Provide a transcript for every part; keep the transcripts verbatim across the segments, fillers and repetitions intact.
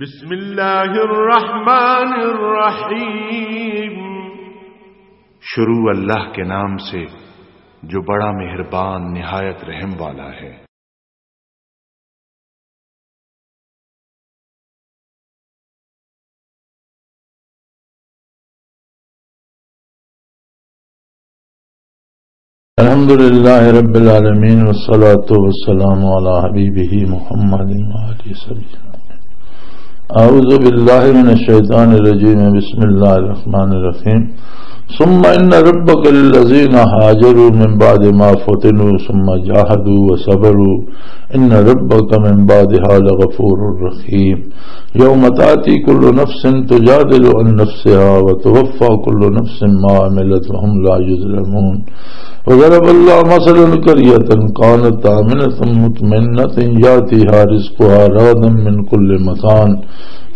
بسم اللہ الرحمن الرحیم۔ شروع اللہ کے نام سے جو بڑا مہربان نہایت رحم والا ہے۔ الحمد لله رب العالمين، والصلاة والسلام على حبيبه محمد وآله وصحبه. أعوذ بالله من الشيطان الرجيم. بسم الله الرحمن الرحيم. ثم إن ربك للذين هاجروا من بعد ما فتنوا ثم جاهدوا وصبروا إن ربك من بعدها لغفور رحيم. يوم تأتي كل نفس تجادل عن نفسها وتوفى كل نفس ما عملت وهم لا يظلمون. وضرب الله مثلا قرية كانت آمنة مطمئنة يأتيها رزقها رغدا من كل مكان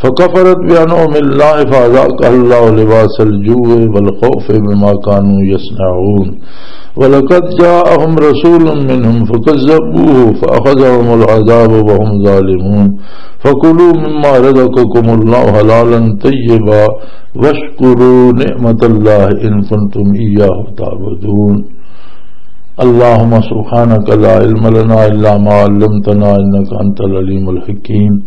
فكفرت بأنعم الله فأذاقها الله لباس الجوع والخوف بما كانوا يصنعون. ولقد جاءهم رسول منهم فكذبوه فأخذهم العذاب وهم ظالمون. فكلوا مما رزقكم الله حلالا طيبا واشكروا نعمة الله إن كنتم إياه تعبدون. اللهم سبحانك لا علم لنا إلا ما علمتنا إنك أنت العليم الحكيم.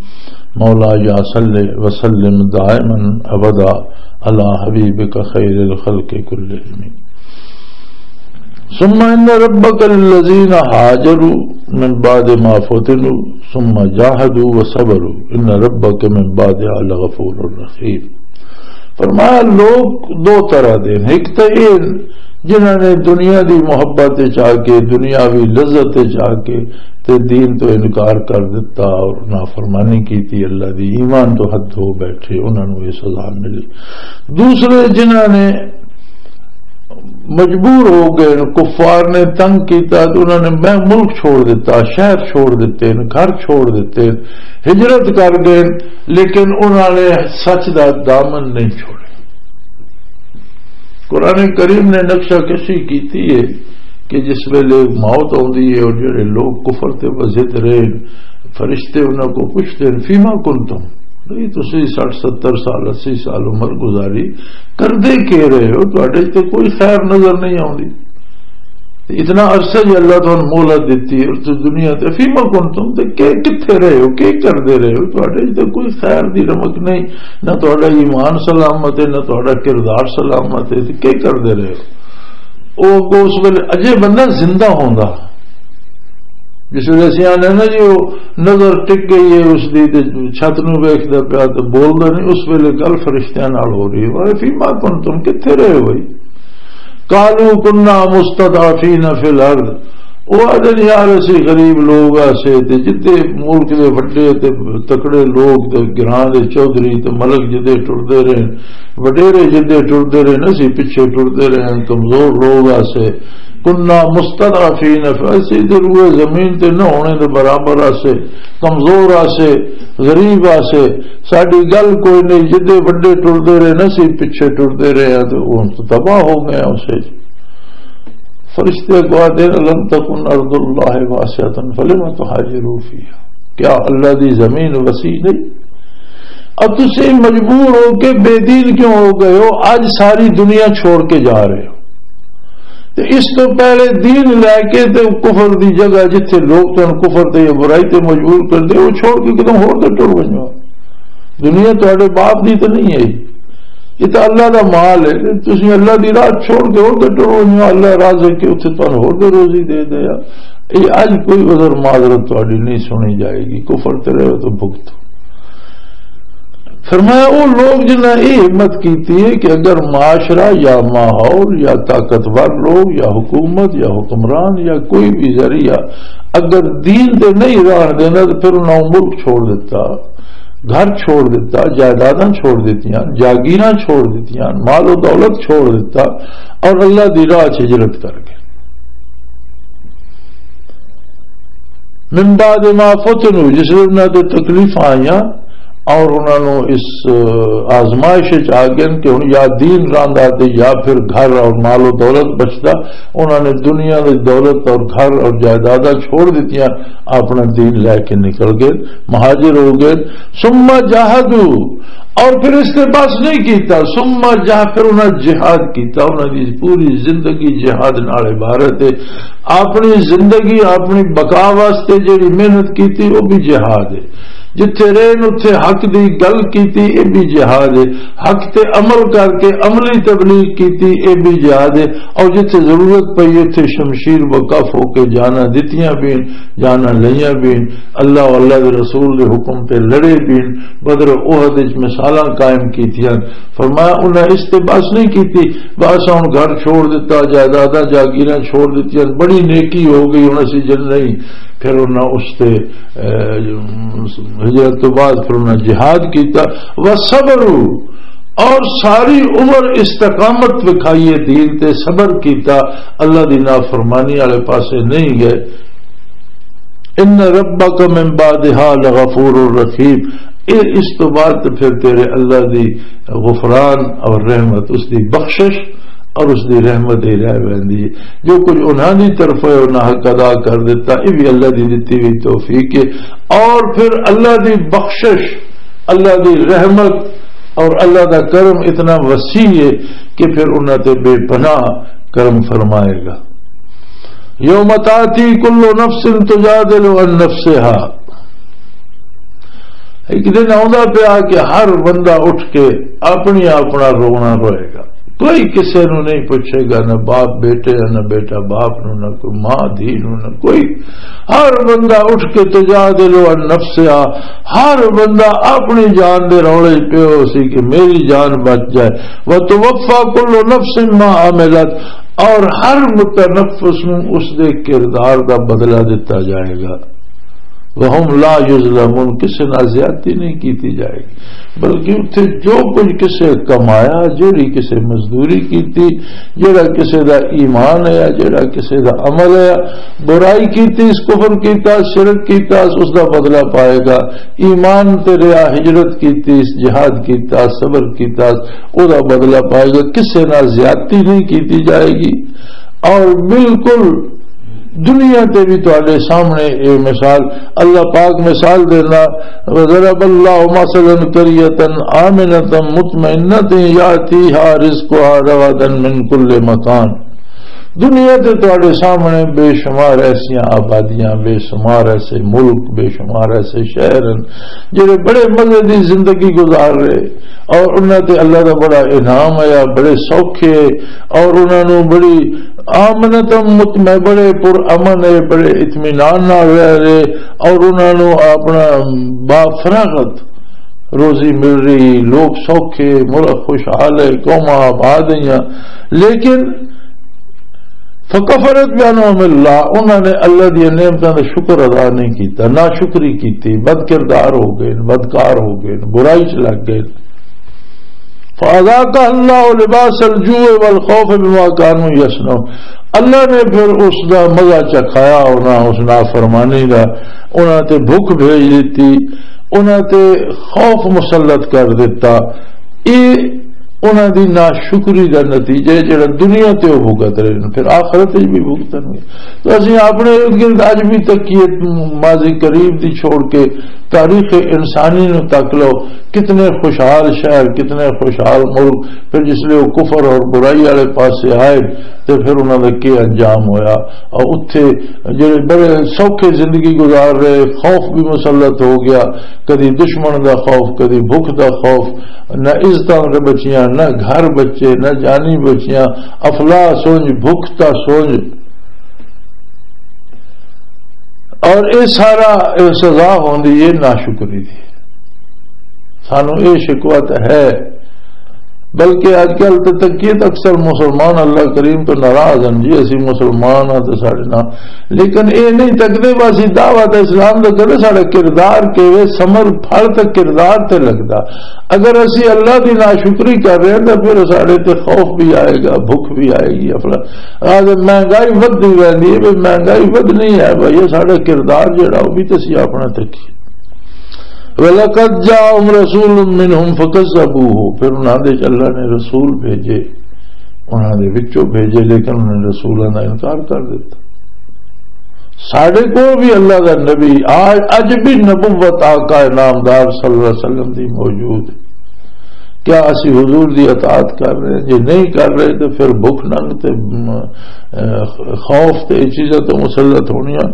مولاي صل وسلم دائما أبدا على حبيبك خير الخلق كلهم. ثم إن ربك للذين هاجروا من بعد ما فتنوا ثم جاهدوا وصبروا إن ربك من بعدها لغفور رحيم. فرمایا، لوگ دو طرح دے نے۔ ایک تے اے جنہاں نے دنیا دی محبت وچ آ کے، دنیاوی لذت وچ آ کے تے دین تو انکار کر دتا اور نافرمانی کیتی، اللہ دی ایمان تو حد ہو بیٹھے، انہاں نوں یہ سزا ملی۔ دوسرے جنہاں نے مجبور ہو گئے، کفار نے تنگ کیتا تے انہاں نے میں ملک چھوڑ دتا، شہر چھوڑ دتے، گھر چھوڑ دتے، ہجرت کر گئے، لیکن انہاں نے سچ دا دامن نہیں چھوڑیا۔ قرآن کریم نے نقشہ کشی کیتی ہے کہ جس ویلے موت آندی ہے اور جڑے لوگ کفر تے بزد رہے، فرشتے انہاں کو پوچھتے ہیں، فیما کنتم؟ بھئی، تسی سٹھ، ستر سال، اسی سال عمر گزاری، کردے کی رہے ہو؟ تہاڈے تے کوئی خیر نظر نہیں آوندی۔ تے اتنا عرصہ جے اللہ تہانوں مہلت دتی اور تسی دنیا تے، فیما کنتم، تے کہ، کتھے رہے ہو، کی کردے رہے ہو؟ تہاڈے تے کوئی خیر دی رمق نہیں، نہ تہاڈا ایمان سلامت ہے، نہ تہاڈا کردار سلامت ہے، تے کی کردے رہے ہو؟ او اگوں اس ویلے اجے بندہ زندہ ہوندا، جس ویلے اسی آنے نا جی، وہ نظر ٹک گئی ہے اس دی، تے چھت نو ویکھدا پیا تے بولدا نہیں، اس ویلے گل فرشتیاں نال ہو رہی ہے، "اے فیما کنتم، کتھے رہے ہو بھائی؟" "قالوا كنا مستضعفين في الأرض۔" او آدھے نے، "یار، اسی غریب لوگ آسے تے جدے ملک دے وڈے تے تکڑے لوگ تے گراں دے چوہدری تے ملک جدے ٹردے رہے، وڈیرے جدے ٹردے رہے، اسی پیچھے ٹردے رہے، کمزور لوگ آسے۔" کنا مستضعفین، فی، اسی تے روئے زمین تے نہ ہونے دے برابر آسے، کمزور آسے، غریب آسے، ساڈی گل کوئی نہیں، جدے وڈے ٹردے رہے نا، اسی پیچھے ٹردے رہے ہیں، تے ہن تباہ ہو گئے ہیں اسے۔ فرشتے اگوں آدھے، "لم تکن ارض اللہ واسعۃ فلم تہاجروا فیہا۔" کیا اللہ دی زمین وسیع نہیں؟ اب تسی مجبور ہو کے بے دین کیوں ہو گئے ہو؟ اج ساری دنیا چھوڑ کے جا رہے ہو۔ تے اس تو پہلے دین لے کے تے کفر دی جگہ، جتھے لوگ تن کفر تے یا برائی تے مجبور کر دے، وہ چھوڑ کے کدوں ہور تے ٹر ونجو۔ دنیا تہاڈے باپ دی تے نہیں ہے، یہ تو اللہ دا مال ہے۔ تسی اللہ دی راہ چھوڑ کے ہور تے ٹر ونجو، اللہ راضی کہ اتھے تن ہور تے روزی دے دے۔ یہ اج کوئی عذر معذرت تہاڈی نہیں سنی جائے گی، کفر تے رہو تو بھگتو۔ فرمایا، وہ لوگ جنہاں یہ ہمت کیتی ہے کہ اگر معاشرہ یا ماحول یا طاقتور لوگ یا حکومت یا حکمران یا کوئی بھی ذریعہ اگر دین تے نہیں راہ دینا تو پھر انہاں ملک چھوڑ دیتا، گھر چھوڑ دیتا، جائیداداں چھوڑ دیتیاں، جاگیراں چھوڑ دیتیاں، مال و دولت چھوڑ دیتا اور اللہ دی راہ چ ہجرت کر گئے۔ من بعد ما فتنوا، جس ویلے انہاں تے تکلیفاں آئیاں، اور انہاں نوں اس، آ، آزمائش وچ آ گئے کہ ہن یا دین رہندا تے یا پھر گھر اور مال و دولت بچدا۔ انہاں نے دنیا دی دولت اور گھر اور جائیداداں چھوڑ دتیاں، اپنا دین لے کے نکل گئے، مہاجر ہو گئے۔ ثم جاہدوا، اور پھر اس تے بس نہیں کیتا، ثم جاہ، پھر انہاں جہاد کیتا۔ انہاں دی پوری زندگی جہاد نال عبارت ہے۔ اپنی زندگی، اپنی بقا واسطے جڑی محنت کیتی، وہ بھی جہاد ہے۔ جتھے رہن اتھے حق دی گل کیتی، اے بھی جہاد ہے۔ حق تے عمل کر کے عملی تبلیغ کیتی، اے بھی جہاد ہے۔ اور جتھے ضرورت پئی، اتھے شمشیر و کف ہو کے جانا دتیاں بھی، جانا لئیاں بھی، اللہ و اللہ دے رسول دے حکم تے لڑے بھی۔ بدر و احد وچ مثالاں قائم کیتیاں۔ فرمایا، انہاں اس تے بس نہیں کیتی، بس ہن گھر چھوڑ دتا، جائیداداں جاگیراں چھوڑ دتیاں، بڑی نیکی ہو گئی، ہن اسی جن نہیں۔ پھر انہاں اس تے، اے، ہجرت تو بعد پھر انہاں جہاد کیتا۔ وصبروا، اور ساری عمر استقامت وکھائی ہے دین تے، صبر کیتا، اللہ دی نافرمانی والے پاسے نہیں گئے۔ ان ربک من بعدها لغفور رحیم۔ اے اس تو بعد تے پھر تیرے اللہ دی غفران اور رحمت، اس دی بخشش اور اس دی رحمت ہی رہ ویندی ہے۔ جو کچھ انہاں دی طرف ہے، انہاں حق ادا کر دیتا، یہ بھی اللہ دی دتی ہوئی توفیق ہے۔ اور پھر اللہ دی بخشش، اللہ دی رحمت اور اللہ دا کرم اتنا وسیع ہے کہ پھر انہاں تے بے پناہ کرم فرمائے گا۔ یوم تاتی کل نفس تجادل عن نفسها۔ ایک دن آوندا پیا کہ ہر بندہ اٹھ کے اپنی اپنا رونا روئے گا۔ کوئی کسے نو نہیں پوچھے گا، نہ باپ بیٹے، نہ بیٹا باپ نو، نہ کوئی ماں دھی نو، نہ کوئی۔ ہر بندہ اٹھ کے تجادل عن نفسها، ہر بندہ اپنی جان دے رولے وچ پیو سی کہ میری جان بچ جائے۔ وتوفى كل نفس ما عملت، اور ہر متنفس نو اس دے کردار دا بدلہ دتا جائے گا۔ وهم لا يظلمون، کسے نال زیادتی نہیں کیتی جائے گی، بلکہ اتھے جو کچھ کسے کمایا، جیڑی کسے مزدوری کیتی، جیڑا کسے دا ایمان ہے، جیڑا کسے دا عمل ہے، برائی کیتی، اس کفر کیتا، شرک کیتا، اس دا بدلہ پائے گا۔ ایمان تے رہا، ہجرت کیتی، جہاد کیتا، صبر کیتا، او دا بدلہ پائے گا۔ کسے نال زیادتی نہیں کیتی جائے گی۔ اور بالکل دنیا تے بھی تواڈے سامنے اے مثال، اللہ پاک مثال دینا، وضرب اللہ مثلا قریة آمنة مطمئنة یاتیہا رزقها رغدا من کل مکان۔ دنیا تے تواڈے سامنے بے شمار ایسیاں آبادیاں، بے شمار ایسے ملک، بے شمار ایسے شہر ہیں جڑے بڑے مزے دی زندگی گزار رہے، اور انہاں تے اللہ دا بڑا انعام آیا، بڑے سوکھے، اور انہاں نوں بڑی آمنتم مطمئن، بڑے پر امن ہے، بڑے اطمینان نال رہ رہے، اور انہاں نوں اپنا با فراغت روزی مل رہی، لوگ سوکھے، ملک خوشحال ہے، قوماں آباد ہیں۔ لیکن فکفرت بانعم اللہ، انہاں نے اللہ دی نعمتاں دا شکر ادا نہیں کیتا، ناشکری کیتی، بد کردار ہو گئے، بدکار ہو گئے، برائی چ لگ گئے۔ فاذاقها اللہ لباس الجوع والخوف بما كانوا يصنعون۔ اللہ نے پھر اس دا مزہ چکھایا انہاں، اس نافرمانی دا، انہاں تے بھوک بھیج دتی، انہاں تے خوف مسلط کر دتا۔ اے انہاں دی ناشکری دا نتیجہ ہے، جڑا دنیا تے وہ بھگت رہے ہیں، پھر آخرت وچ بھی بھگتن گے۔ تو اسی اپنے ارد گرد اج بھی تکیے، ماضی قریب دی چھوڑ کے تاریخ انسانی نو تک لو، کتنے خوشحال شہر، کتنے خوشحال ملک، پھر جس لئے وہ کفر اور برائی والے پاسے آئے، تے پھر انہاں دا کی انجام ہویا؟ اور اتھے جڑے بڑے سوکھے زندگی گزار رہے، خوف بھی مسلط ہو گیا، کدی دشمن دا خوف، کدی بھوک دا خوف، نہ عزتاں بچیاں، نہ گھر بچے، نہ جانی بچیاں، افلا سونج، بھوک تا سونج۔ اور اے سارا، اے سزا ہوندی ہے ناشکری دی۔ سانو اے شکوہ تے ہے، بلکہ اج کل تے تکیے تے اکثر مسلمان اللہ کریم تو ناراض ہیں جی، اسی مسلمان ہاں تے ساڈے نال، لیکن اے نہیں تکدے بس اسی دعوت اسلام دا کرے، ساڈا کردار کیویں، ثمر پھل تے کردار تے لگدا۔ اگر اسی اللہ دی ناشکری کر رہے ہیں تو پھر ساڈے تے خوف بھی آئے گا، بھوک بھی آئے گی، افلا آ تے مہنگائی ودھدی رہندی ہے، بھی مہنگائی ودھنی ہے بھائی، یہ ساڈا کردار جڑا، وہ بھی تے اسی اپنا تکیے۔ وَلَقَدْ جَاءَهُمْ رَسُولٌ مِّنْهُمْ فَكَذَّبُوهُ، پھر انہاں دے وچ اللہ نے رسول بھیجے، انہاں دے وچوں بھیجے، لیکن انہاں نے رسولاں دا انکار کر دتا۔ ساڈے کول بھی اللہ دا نبی آج، اج بھی نبوت آقا نامدار صلی اللہ علیہ وسلم دی موجود ہے۔ کیا اسی حضور دی اطاعت کر رہے ہیں؟ جے نہیں کر رہے تو پھر بھوک ننگ تے، م، اے، خوف تے یہ چیزاں تو مسلط ہونیاں۔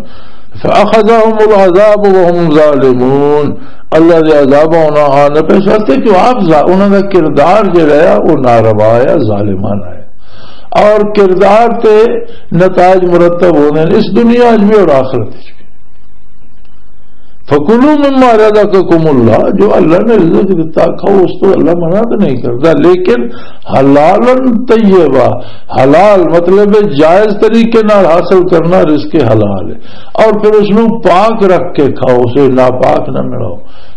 فَأَخَذَهُمُ الْعَذَابُ وَهُمْ ظَالِمُونَ۔ اللہ دے عذاب انہاں آن پہ سستے، کیوں آپ ظا-، انہاں دا کردار جڑا ہے وہ ناروا ہے، ظالمانہ ہے۔ اور کردار تے نتائج مرتب ہوندے نے اس دنیا وچ بھی اور آخرت وچ بھی۔ فَكُلُوا مِمَّا رَزَقَكُمُ اللَّهُ، جو اللہ نے رزق دتا کھاؤ، اس تو اللہ منع تو نہیں کرتا، لیکن حلالًا طیبا، حلال مطلب ہے جائز طریقے نال حاصل کرنا رزق حلال ہے، اور پھر اس نو پاک رکھ کے کھاؤ، اسے ناپاک نہ ملاؤ۔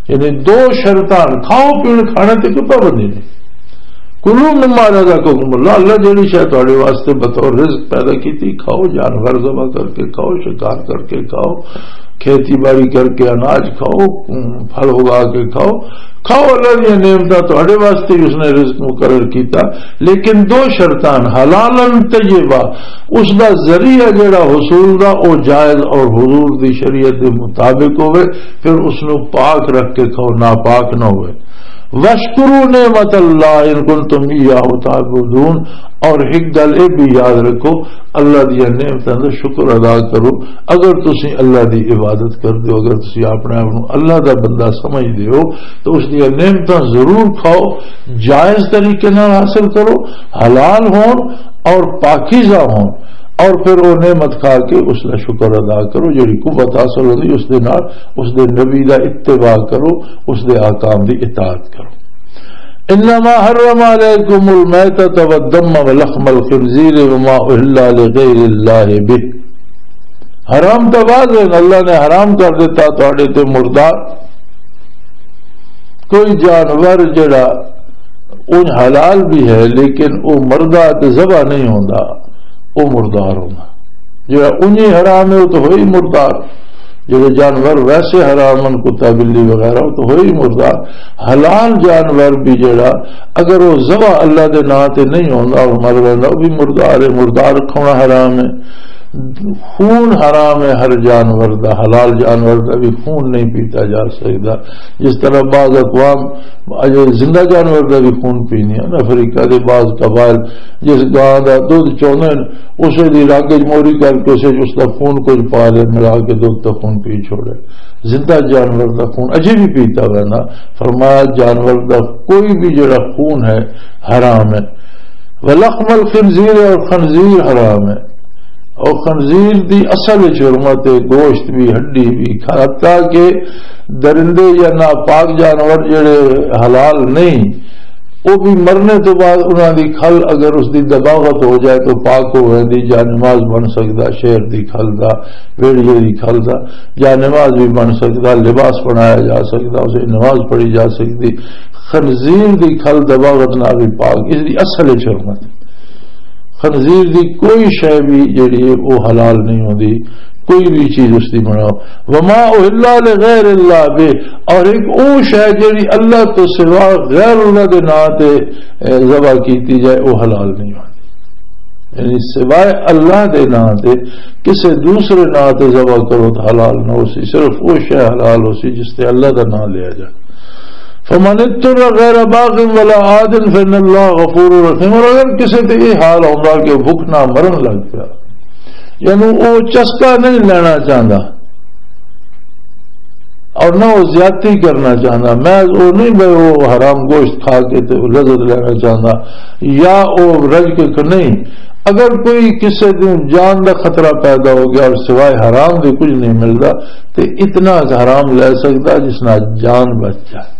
یعنی دو شرطاں، کھاؤ پین کھانے تے کوئی پابندی نہیں۔ کلوا مما رزقکم اللہ، اللہ جڑی شے تہاڈے واسطے بطور رزق پیدا کیتی، کھاؤ، جانور ذبح کر کے کھاؤ، شکار کر کے کھاؤ، کھیتی باڑی کر کے اناج کھاؤ، پھل اگا کے کھاؤ، کھاؤ، اللہ دی نعمتاں تہاڈے واسطے ہی اس نے رزق مقرر کیتا، لیکن دو شرطاں، حلالا طیبا، اس دا ذریعہ جڑا حصول دا او جائز اور حضور دی شریعت دے مطابق ہوئے، پھر اس نو پاک رکھ کے کھاؤ، ناپاک نہ ہوئے۔ وَاشْكُرُوا نِعْمَتَ اللَّهِ إِن كُنتُمْ إِيَّاهُ تَعْبُدُونَ، اور ایک گل یہ بھی یاد رکھو، اللہ دی نعمتاں دا شکر ادا کرو۔ اگر تسی اللہ دی عبادت کر دیو، اگر تسی اپنے آپ نو اللہ دا بندہ سمجھ دیو، تو اس دی نعمتاں ضرور کھاؤ، جائز طریقے نال حاصل کرو، حلال ہون اور پاکیزہ ہون، اور پھر وہ نعمت کھا کے اس دا شکر ادا کرو، جڑی قوت حاصل ہوندی اس دے نال، اس دے نبی دا اتباع کرو، اس دے احکام دی اطاعت کرو۔ انما حرم علیکم المیتۃ والدم ولحم الخنزیر وما اہل لغیر اللہ بہ۔ حرام تو واضح ہے، اللہ نے حرام کر دیتا تہاڈے تے مردار۔ کوئی جانور جڑا اون حلال بھی ہے لیکن وہ مردہ تے ذبح نہیں ہوندا، وہ مردار ہوندا۔ جڑا اونجی حرام ہے، وہ تو ہوئی مردار۔ جڑے جانور ویسے حرام ہن، کتا، بلی وغیرہ، وہ تو ہوئی مردار۔ حلال جانور بھی جڑا، اگر وہ ذبح اللہ دے نام تے نہیں ہوندا اور مر ویندا، وہ بھی مردار ہے۔ مردار کھانا حرام ہے۔ خون حرام ہے ہر جانور دا، حلال جانور دا بھی خون نہیں پیتا جا سکدا۔ جس طرح بعض اقوام اجے زندہ جانور دا بھی خون پینے ہیں۔ افریقہ دے بعض قبائل جس گاں دا دودھ چوندے نے، اسے دی رگ وچ موری کر کے اسے وچ اس دا خون کچھ پا لے، ملا کے دودھ دا خون پی چھوڑے۔ زندہ جانور دا خون اجے بھی پیتا ویندا۔ فرمایا جانور دا کوئی بھی جڑا خون ہے حرام ہے۔ ولحم الخنزیر، اور خنزیر حرام ہے۔ اور خنزیر دی اصل وچ حرمت ہے، گوشت بھی، ہڈی بھی، حتیٰ کہ درندے یا ناپاک جانور جڑے حلال نہیں، وہ بھی مرنے تو بعد انہاں دی کھل اگر اس دی دباغت ہو جائے تو پاک ہو جاندی، جا نماز بن سکدا، شیر دی کھل دا، ویڑیے دی کھل دا، جا نماز بھی بن سکدا، لباس بنایا جا سکدا، اسے نماز پڑھی جا سکدی۔ خنزیر دی کھل دباغت نال بھی پاک، اس دی اصل وچ حرمت۔ خنزیر دی کوئی شے بھی جڑی ہے، وہ حلال نہیں ہوندی، کوئی بھی چیز اس دی بناؤ۔ وما اہل لغیر اللہ بہ، اور ایک او شے جڑی اللہ تو سوا غیر اللہ دے نام تے، اے، ذبح کیتی جائے، وہ حلال نہیں ہوندی۔ یعنی سوائے اللہ دے نام تے کسے دوسرے نام تے ذبح کرو تو حلال نہ ہو سی، صرف وہ شے حلال ہو سی جس تے اللہ دا نام لیا جائے۔ فمن اضطر غیر باغ ولا عاد فإن اللہ غفور رحیم۔ اور اگر کسے تے یہ حال ہوندا کہ بھوک نہ مرن لگ پیا، یعنی وہ چسکا نہیں لینا چاہتا اور نہ وہ زیادتی کرنا چاہتا، میں وہ نہیں بھائی وہ حرام گوشت کھا کے تے وہ لذت لینا چاہتا یا وہ رج کے ک-، نہیں۔ اگر کوئی کسے کو جان دا خطرہ پیدا ہو گیا اور سوائے حرام دے کچھ نہیں ملتا، تے اتنا حرام لے سکتا جس نال جان بچ جائے۔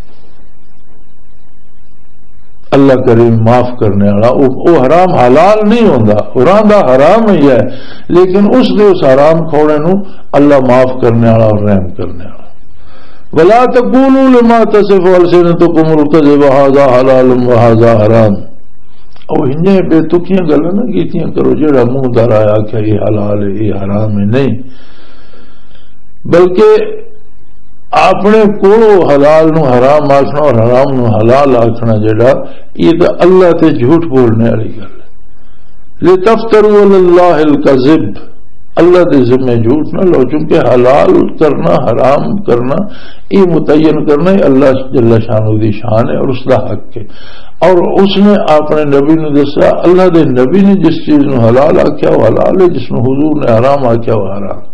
اللہ کریم معاف کرنے والا، او، او حرام حلال نہیں ہوندا، قرآن دا حرام ہی ہے، لیکن اس دے اس حرام کھوڑے نو اللہ معاف کرنے والا اور رحم کرنے والا۔ ولا تقولوا لما تصف السنتكم الكذب هذا حلال وهذا حرام۔ او انہیں بے تکیاں گلاں نہ کیتیاں کرو، جڑا منہ در آیا کہ یہ حلال ہے، یہ حرام ہے، نہیں، بلکہ اپنے کولوں حلال نو حرام آکھنا اور حرام نو حلال آکھنا جڑا، یہ تو اللہ تے جھوٹ بولنے والی گل ہے۔ لِتَفْتَرُوا عَلَى اللَّهِ الْكَذِبَ، اللہ دے ذمے جھوٹ نہ لو، چونکہ حلال کرنا، حرام کرنا، یہ متعین کرنا، یہ اللہ جل شانہ دی شان ہے اور اس دا حق ہے۔ اور اس نے اپنے نبی نو دسیا، اللہ دے نبی نے جس چیز نو حلال آکھیا وہ حلال ہے، جس نو حضور نے حرام آکھیا وہ حرام۔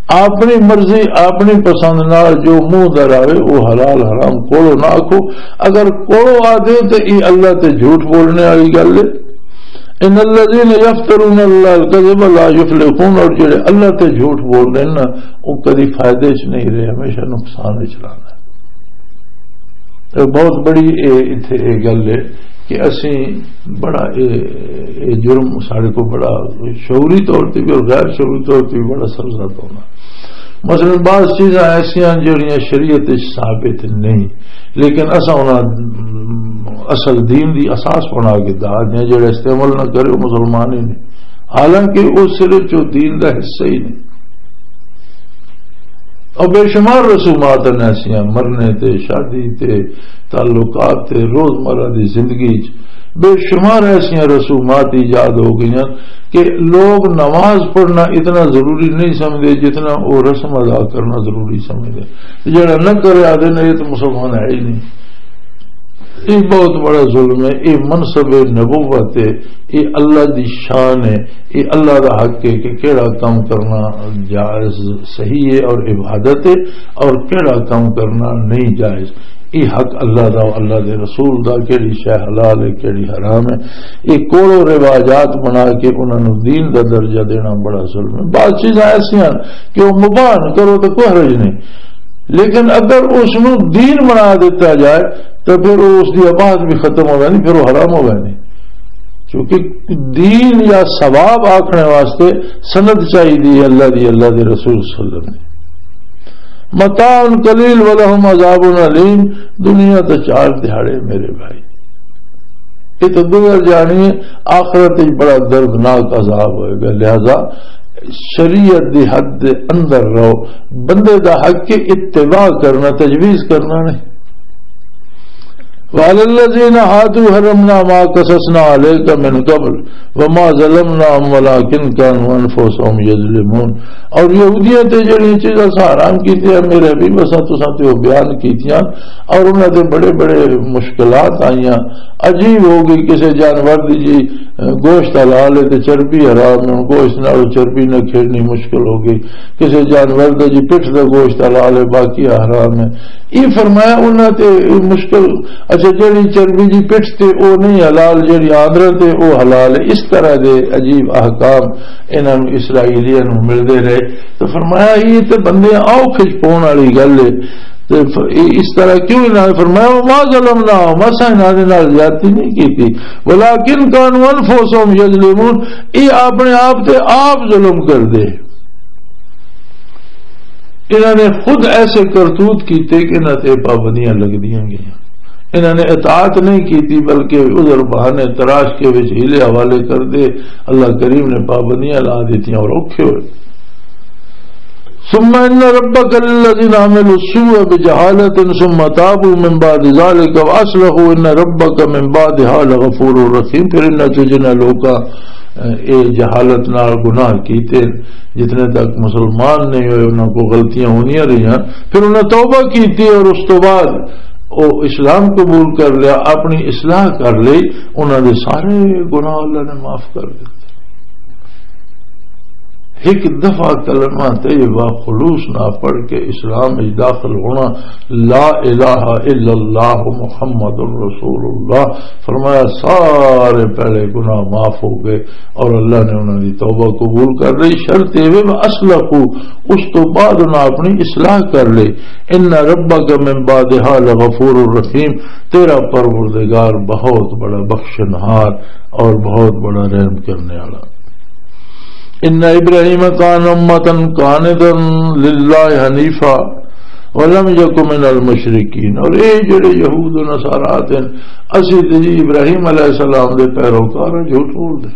اپنی مرضی، اپنی پسند نال جو منہ در آوے، وہ حلال حرام کولو نہ آکھو۔ اگر کولو آ دے تے یہ اللہ تے جھوٹ بولنے والی گل ہے۔ ان الذين يفترون على الله الكذب لا يفلحون، اور جڑے اللہ تے جھوٹ بول رہے ہیں نا، وہ کدی فائدے چ نہیں رہے، ہمیشہ نقصان وچ رہنا۔ یہ بہت بڑی، اے، اتھے یہ گل ہے کہ اسی بڑا، اے، اے جرم ساڑے کو بڑا شعوری طور تے بھی اور غیر شعوری طور تے بھی بڑا سبزہ ہونا۔ مثلاً بعض چیزاں ایسیاں جڑیاں شریعت وچ ثابت نہیں، لیکن اساں انہاں، م، اصل دین دی اساس بنا کے دار دیا، جڑا استعمال نہ کرے وہ مسلمان ہی نہیں، حالانکہ وہ صرف جو دین دا حصہ ہی نہیں۔ اور بے شمار رسومات ہیں ایسیاں، مرنے تے، شادی تے، تعلقات تے، روزمرہ دی زندگی چ بے شمار ایسیاں رسومات ایجاد ہو گئیاں کہ لوگ نماز پڑھنا اتنا ضروری نہیں سمجھتے جتنا وہ رسم ادا کرنا ضروری سمجھتے۔ جڑا نہ کرے آدھے نے، یہ تو مسلمان ہے ہی نہیں۔ یہ بہت بڑا ظلم ہے۔ یہ منصب نبوت ہے، یہ اللہ دی شان ہے، یہ اللہ دا حق ہے کہ کیڑا کام کرنا جائز، صحیح ہے اور عبادت ہے، اور کیڑا کام کرنا نہیں جائز۔ یہ حق اللہ دا، اللہ دے رسول دا، کیڑی شے حلال ہے، کیڑی حرام ہے۔ یہ کوڑو رواجات بنا کے انہاں نوں دین دا درجہ دینا بڑا ظلم ہے۔ بعض چیزاں ایسیاں کہ وہ مباح کرو تو کوئی حرج نہیں، لیکن اگر اس نوں دین بنا دیتا جائے تو پھر وہ، اس دی اباحت بھی ختم ہو جانی، پھر وہ حرام ہو جانی۔ کیونکہ دین یا ثواب آکھنے واسطے سند چاہیے اللہ دی، اللہ دے رسول صلی اللہ علیہ وسلم۔ متاع قلیل ولہم عذاب علیم، دنیا تے چار دہاڑے میرے بھائی۔ یہ تو گزر جانی ہے، آخرت وچ بڑا دردناک عذاب ہوئے گا۔ لہذا شریعت دی حد دے اندر رہو، بندے دا حق ہے اتباع کرنا، تجویز کرنا نہیں۔ وعلى الذين هادوا حرمنا ما قصصنا عليك من قبل وما ظلمناهم ولكن كانوا أنفسهم يظلمون۔ اور یہودیاں تے جڑیاں چیزاں اساں حرام کیتیاں، میرے حبیب، اساں تساں تے وہ بیان کیتیاں، اور انہاں تے بڑے بڑے مشکلات آئیاں، عجیب ہو گئی۔ کسے جانور دی جی، اے، گوشت حلال ہے تے چربی حرام ہے، ہن گوشت نال چربی نہ کھیڑنی مشکل ہو گئی۔ کسے جانور دا جی پٹھ دا گوشت حلال ہے، باقی حرام ہے۔ یہ فرمایا انہاں تے مشکل، اچھا، جڑی چربی دی پٹھ تے او نہیں حلال، جڑی آندرا تے او حلال ہے۔ اس طرح دے عجیب احکام انہاں نوں، اسرائیلیاں نوں ملدے رہے۔ تو فرمایا، یہ تے بندے آؤ کھچ پون والی گل ہے۔ تے ف-، اے اس طرح کیوں انہاں نے فرمایا، "وما ظلمناہم"، اساں انہاں دے نال زیادتی نہیں کیتی، "ولکن کانوا انفسہم یظلمون"، یہ اپنے آپ تے آپ ظلم کر دے۔ انہاں نے خود ایسے کرتوت کیتے کہ انہاں تے پابندیاں لگدیاں گئیاں۔ انہاں نے اطاعت نہیں کیتی، بلکہ عذر بہانے تراش کے وچ ہیلے حوالے کر دے۔ اللہ کریم نے پابندیاں لا دیتیاں اور اوکھے ہوئے۔ ثم ان ربک للذین عملوا السوء بجہالۃ ثم تابوا من بعد ذلک واصلحوا ان ربک من بعدها لغفور رحیم۔ پھر انہاں چوں جنہاں لوکاں، اے، جہالت نال گناہ کیتے، جتنے تک مسلمان نہیں ہوئے، انہاں کو غلطیاں ہوندیاں رہیاں، پھر انہاں توبہ کیتی اور اس تو بعد وہ اسلام قبول کر لیا، اپنی اصلاح کر لی، انہاں دے سارے گناہ اللہ نے معاف کر دیتے۔ ایک دفعہ کلمہ طیبہ خلوص نہ پڑھ کے اسلام میں داخل ہونا، لا الہ الا اللہ محمد رسول اللہ، فرمایا سارے پہلے گناہ معاف ہو گئے اور اللہ نے انہاں دی توبہ قبول کر لی۔ شرط یہ وے، اصلحوا، اس تو بعد انہاں اپنی اصلاح کر لی۔ ان ربک من بعدها لغفور رحیم، تیرا پروردگار بہت بڑا بخشنہار اور بہت بڑا رحم کرنے والا۔ ان ابراہیم کان امتا قانتا للہ حنیفا ولم یک من المشرکین۔ اور اے جڑے یہود و نصارا ہیں، اسی تے جی ابراہیم علیہ السلام دے پیروکار ہیں، جھوٹ بول دے۔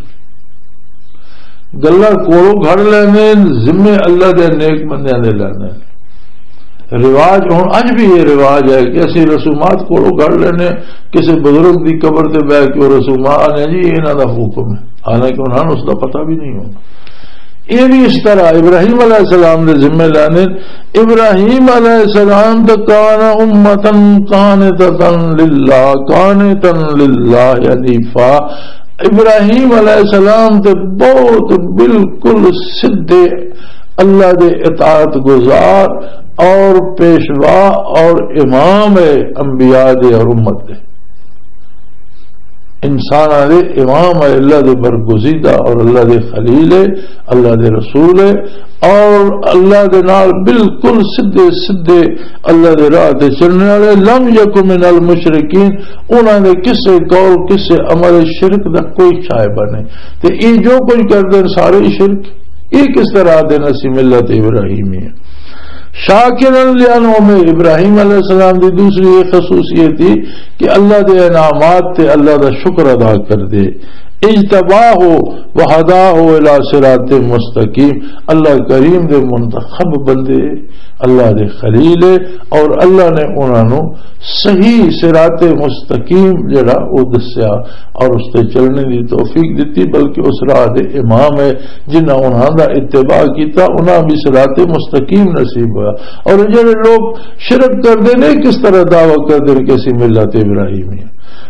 گلاں کولوں گھڑ لیندے، ذمے اللہ دے نیک بندیاں دے لیندے۔ رواج، ہن اج بھی یہ رواج ہے کہ اسی رسومات کولوں گھڑ لینے، کسی بزرگ دی قبر تے بیٹھ کے وہ رسومات نے جی، انہاں دا حکم ہے، حالانکہ انہاں نوں اس دا پتہ بھی نہیں ہونا۔ یہ بھی اس طرح ابراہیم علیہ السلام دے ذمہ لینے۔ ابراہیم علیہ السلام تو کان امتن قانتتن للہ، قانتن للہ حنیفا۔ ابراہیم علیہ السلام تے بہت بالکل سدھے اللہ دے اطاعت گزار اور پیشوا اور امام ہے انبیاء دے اور امت دے۔ انساناں دے امام ہے، اللہ دے برگزیدہ اور اللہ دے خلیل ہے، اللہ دے رسول ہے، اور اللہ دے نال بالکل سدھے سدھے اللہ دے راہ تے چلنے والے۔ لم یک من المشرکین، انہاں دے کسے قول، کسے عمل شرک دا کوئی شائبہ نہیں۔ تے یہ جو کچھ کردے نے سارے ہی شرک۔ یہ کس طرح دے نسی ملت ابراہیمی ہے؟ شاکرا لانعم، ابراہیم علیہ السلام دی دوسری یہ خصوصیت تھی کہ اللہ دے انعامات تے اللہ دا شکر ادا کر دے۔ اجتباہ و ہداہ الی صراط مستقیم، اللہ کریم دے منتخب بندے، اللہ دے خلیل ہے، اور اللہ نے انہاں نوں صحیح صراط مستقیم جڑا وہ دسیا اور اس تے چلنے دی توفیق دتی، بلکہ اس راہ دے امام ہے۔ جنہاں انہاں دا اتباع کیتا، انہاں بھی صراط مستقیم نصیب ہویا۔ اور جڑے لوگ شرک کردے نے، کس طرح دعویٰ کردے نے کہ اسی ملت ابراہیمی ہیں؟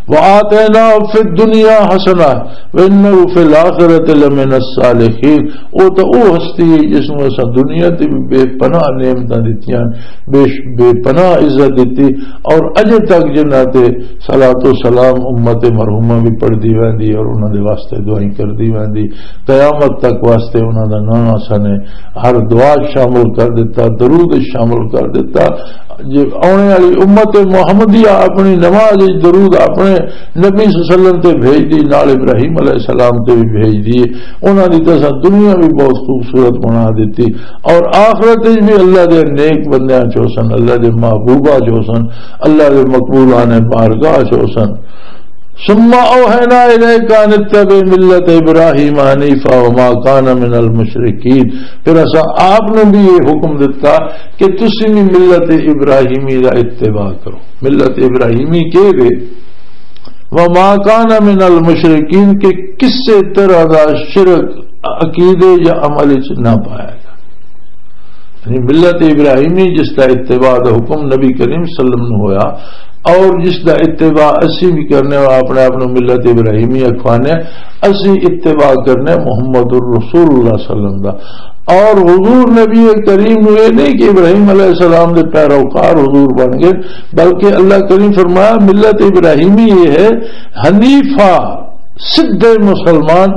وآتینا فی الدنیا حسنہ وانہ فی الآخرۃ لمن الصالحین۔ او تو او ہستی ہے جس نوں اساں دنیا تے بھی بے پناہ نعمتاں دتیاں، بے، بے پناہ عزت دتی، اور اجے تک جنہاں تے صلاۃ و سلام امت مرحومہ بھی پڑھدی ویندی اور انہاں دے واسطے دعائیں کردی ویندی، قیامت تک واسطے انہاں دا نانا سنے ہر دعا شامل کر دیتا، درود شامل کر دیتا۔ جے آنے والی امت محمدیہ اپنی نماز وچ درود اپنے نبی صلی اللہ علیہ وسلم تے بھیج دی، نال ابراہیم علیہ السلام تے بھی بھیج دی۔ انہاں دی تے اساں دنیا بھی بہت خوبصورت بنا دیتی، اور آخرت وچ بھی اللہ دے نیک بندیاں چوں سن، اللہ دے محبوبہ چوں سن، اللہ دے مقبولان بارگاہ چوں سن۔ ثم اوحینا الیک ان اتبع ملت ابراہیم حنیفا وما کان من المشرکین۔ پھر اساں آپ نے بھی یہ حکم دیتا کہ تسی بھی ملت ابراہیمی دا اتباع کرو۔ ملت ابراہیمی کے وے؟ وما کان من المشرکین، کہ کسے طرح دا شرک عقیدے یا عمل وچ نہ پایا گیا۔ یعنی ملت ابراہیمی جس دا اتباع دا حکم نبی کریم صلی اللہ علیہ وسلم نو ہویا، اور جس دا اتباع اسی بھی کرنے اور اپنے آپ نو ملت ابراہیمی اکھوانے، اسی اتباع کرنے محمد الرسول اللہ صلی اللہ علیہ وسلم دا۔ اور حضور نبی کریم نو یہ نہیں کہ ابراہیم علیہ السلام دے پیروکار حضور بن گئے، بلکہ اللہ کریم فرمایا ملت ابراہیمی یہ ہے، حنیفہ، سدھے مسلمان،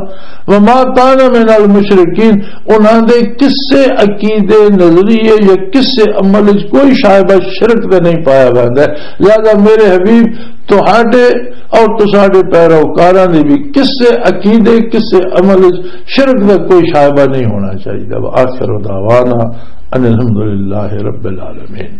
وما کان من المشرکین، انہاں دے کسے عقیدے، نظریے یا کسے عمل وچ کوئی شائبہ شرک دا نہیں پایا ویندا ہے۔ لہذا میرے حبیب، تہاڈے اور تساڈے پیروکاراں دی بھی کسے عقیدے، کسے عمل وچ شرک دا کوئی شائبہ نہیں ہونا چاہیے۔ وآخر دعوانا ان الحمدللہ رب العالمین۔